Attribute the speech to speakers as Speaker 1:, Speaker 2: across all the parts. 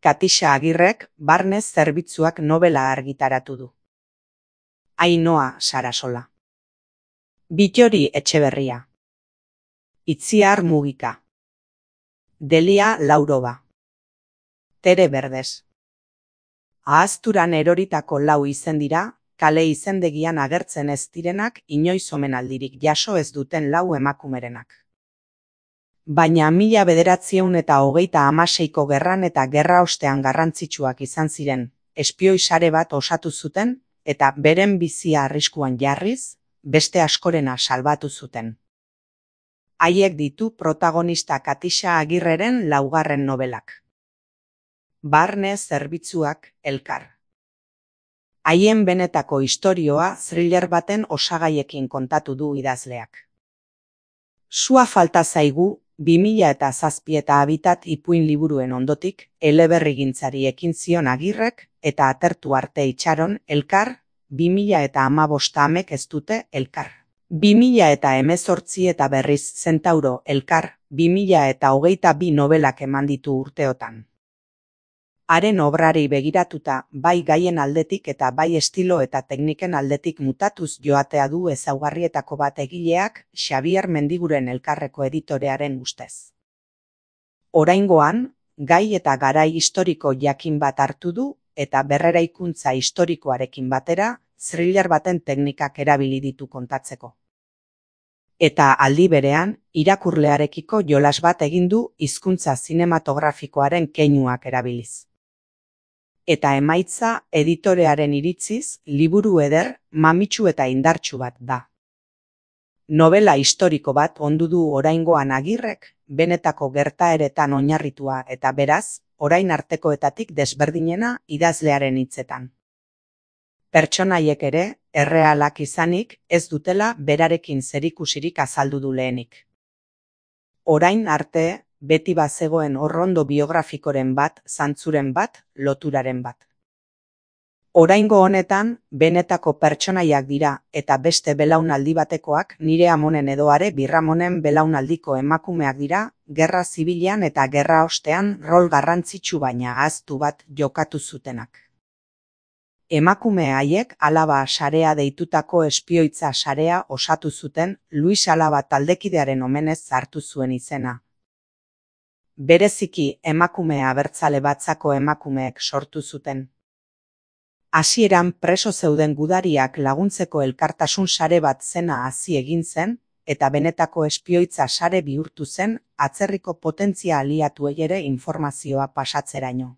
Speaker 1: Katixa Agirrek Barne Zerbitzuak nobela argitaratu du. Ainhoa Sarasola. Bittori Etxeberria. Itziar Mugika. Delia Laurova. Tere Berdez. Ahazturan eroritako 4 izen dira, kale izendegian agertzen ez direnak inoiz omenaldirik jaso ez duten 4 emakumerenak. Baina 1926ko gerran eta gerra ostean garrantzitsuak izan ziren, espioi sare bat osatu zuten, eta beren bizia arriskuan jarriz, beste askorena salbatu zuten. Haiek ditu protagonista Katixa Agirreren 4. nobelak. Barne Zerbitzuak elkar. Haien benetako istorioa thriller baten osagaiekin kontatu du idazleak. Sua falta zaigu 2007 eta Habitat ipuin liburuen ondotik eleberrigintzari ekin zion Agirrek eta atertu arte itxaron elkar 2015 amek ez dute elkar. 2018 eta berriz Zentauro elkar 2022 nobelak eman ditu urteotan. Haren obrari begiratuta bai gaien aldetik eta bai estilo eta tekniken aldetik mutatuz joatea du ezaugarrietako bat egileak Xabier Mendiguren elkarreko editorearen ustez. Oraingoan, gai eta garai historiko jakin bat hartu du eta berreraikuntza historikoarekin batera thriller baten teknikak erabili ditu kontatzeko. Eta aldi berean, irakurlearekiko jolas bat egin du hizkuntza zinematografikoaren keinuak erabiliz. Eta emaitza editorearen iritziz, liburu eder, mamitsu eta indartsu bat da. Nobela historiko bat ondu du oraingoan Agirrek, benetako gertaeretan oinarritua eta beraz, orain artekoetatik desberdinena idazlearen hitzetan. Pertsonaiek ere, errealak izanik, ez dutela berarekin zerikusirik azaldu du lehenik. Orain arte, beti bazegoen orrondo biografikoren bat, zantzuren bat, loturaren bat. Oraingo honetan, benetako pertsonaiak dira eta beste belaunaldi batekoak nire amonen edo Are Birramonen belaunaldiko emakumeak dira, gerra zibilean eta gerra ostean rol garrantzitsu baina ahaztu bat jokatu zutenak. Emakume haiek Alaba sarea deitutako espioitza sarea osatu zuten Luis Alaba taldekidearen omenez hartu zuen izena. Bereziki emakume abertzale batzako emakumeek sortu zuten. Hasieran preso zeuden gudariak laguntzeko elkartasun sare bat zena hasi egin zen, eta benetako espioitza sare bihurtu zen atzerriko potentzia aliatuei ere informazioa pasatzeraino.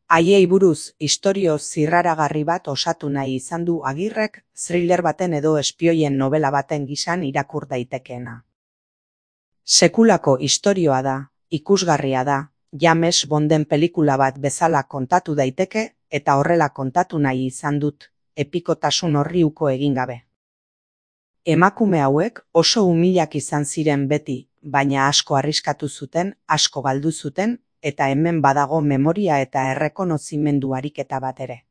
Speaker 1: Haiei buruz istorio zirraragarri bat osatu nahi izan du Agirrek thriller baten edo espioien nobela baten gisan irakur daitekeena. Sekulako istorioa da, ikusgarria da, James Bonden pelikula bat bezala kontatu daiteke eta horrela kontatu nahi izan dut, epikotasun horri uko egin gabe. Emakume hauek oso umilak izan ziren beti, baina asko arriskatu zuten, asko galdu zuten, eta hemen badago memoria eta errekonozimendu ariketa bat ere.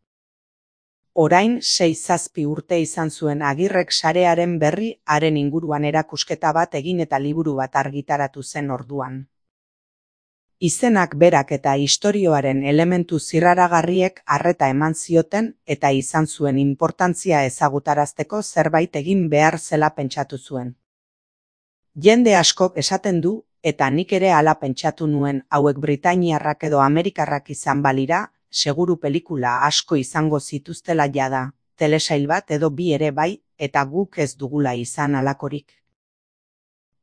Speaker 1: Orain 6-7 urte izan zuen Agirrek sarearen berri haren inguruan erakusketa bat egin eta liburu bat argitaratu zen orduan. Izenak berak eta istorioaren elementu zirraragarriek arreta eman zioten eta izan zuen inportantzia ezagutarazteko zerbait egin behar zela pentsatu zuen. Jende askok esaten du, eta nik ere hala pentsatu nuen hauek britainiarrak edo amerikarrak izan balira, seguru pelikula asko izango zituztela jada, telesail bat edo 2 ere bai, eta guk ez dugula izan halakorik.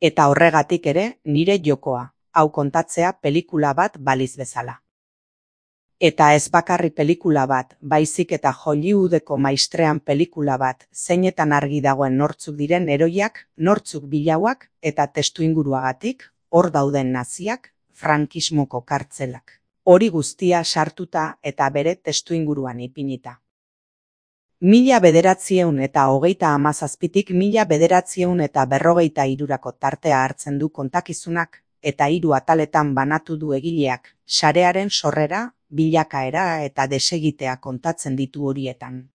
Speaker 1: Eta horregatik ere, nire jokoa, hau kontatzea pelikula bat baliz bezala. Eta ez bakarri pelikula bat, baizik eta Hollywoodeko maistrean pelikula bat, zeinetan argi dagoen nortzuk diren heroiak, nortzuk bilauak eta testuinguruagatik, hor dauden naziak, frankismoko kartzelak. Hori guztia sartuta eta bere testuinguruan ipinita. 1937tik 1943 tartea hartzen du kontakizunak, eta 3 ataletan banatu du egileak, sarearen sorrera, bilakaera eta desegitea kontatzen ditu horietan.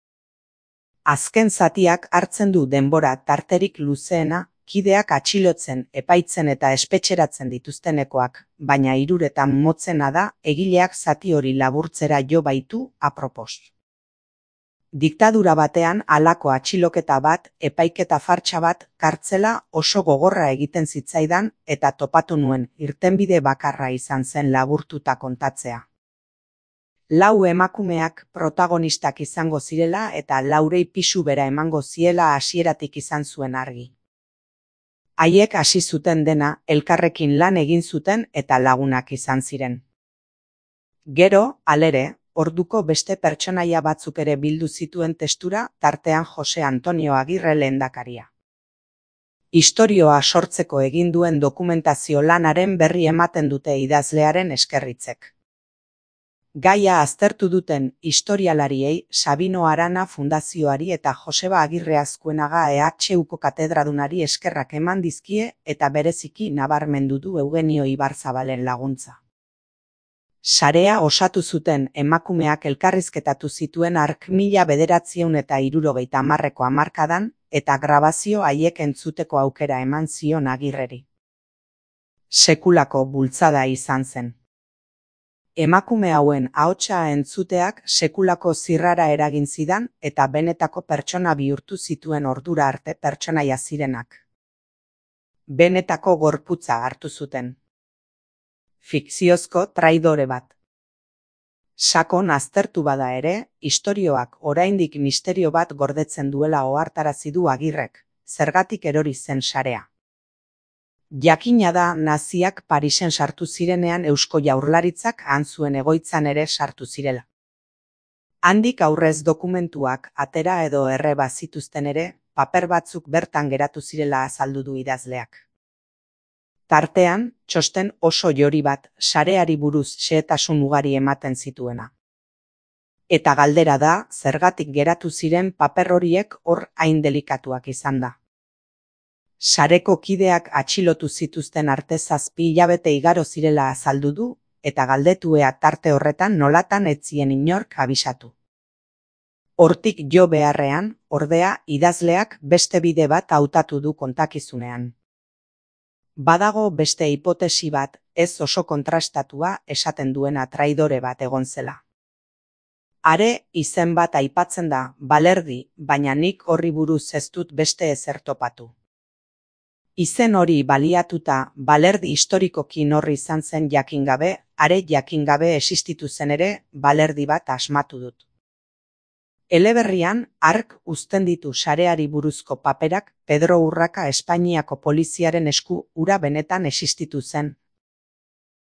Speaker 1: Azken zatiak hartzen du denbora tarterik luzeena, kideak atxilotzen, epaitzen eta espetxeratzen dituztenekoak, baina hiruretan motzena da egileak zati hori laburtzera jo baitu apropos. Diktadura batean halako atxiloketa bat, epaiketa fartsa bat, kartzela oso gogorra egiten zitzaidan eta topatu nuen irtenbide bakarra izan zen laburtuta kontatzea. 4 emakumeak protagonistak izango zirela eta 4 pisu bera emango ziela hasieratik izan zuen argi. Haiek hasi zuten dena, elkarrekin lan egin zuten eta lagunak izan ziren. Gero, halere, orduko beste pertsonaia batzuk ere bildu zituen testura, tartean Jose Antonio Agirre lehendakaria. Istorioa sortzeko egin duen dokumentazio lanaren berri ematen dute idazlearen eskerritzek. Gaia aztertu duten historialariei, Sabino Arana Fundazioari eta Joseba Agirre Azkuenaga EHUko katedradunari eskerrak eman dizkie eta bereziki nabarmendu du Eugenio Ibarzabalen laguntza. Sarea osatu zuten emakumeak elkarrizketatu zituen hark 1970ko hamarkadan eta grabazio haiek entzuteko aukera eman zion Agirreri. Sekulako bultzada izan zen. Emakume hauen ahotsa entzuteak sekulako zirrara eragin zidan eta benetako pertsona bihurtu zituen ordura arte pertsonaia zirenak. Benetako gorputza hartu zuten. Fikziozko traidore bat. Sakon aztertu bada ere, istorioak oraindik misterio bat gordetzen duela ohartarazi du Agirrek, zergatik erori zen sarea. Jakina da naziak Parisen sartu zirenean Eusko Jaurlaritzak han zuen egoitzan ere sartu zirela. Handik aurrez dokumentuak atera edo erreba zituzten ere, paper batzuk bertan geratu zirela azaldu du idazleak. Tartean, txosten oso jori bat, sareari buruz xehetasun ugari ematen zituena. Eta galdera da, zergatik geratu ziren paper horiek hor hain delikatuak izan da. Sareko kideak atxilotu zituzten arte 7 hilabete igaro zirela azaldu du, eta galdetu ea tarte horretan nolatan ez zien inork abisatu. Hortik jo beharrean, ordea, idazleak beste bide bat hautatu du kontakizunean. Badago beste hipotesi bat, ez oso kontrastatua esaten duena traidore bat egon zela. Are izen bat aipatzen da, Balerdi, baina nik horri buruz ez dut beste ezer topatu. Izen hori baliatuta, Balerdi historikoki norri izan zen jakin gabe, are jakin gabe existitu zen ere, Balerdi bat asmatu dut. Eleberrian, hark uzten ditu sareari buruzko paperak Pedro Urraka Espainiako poliziaren esku ura benetan existitu zen,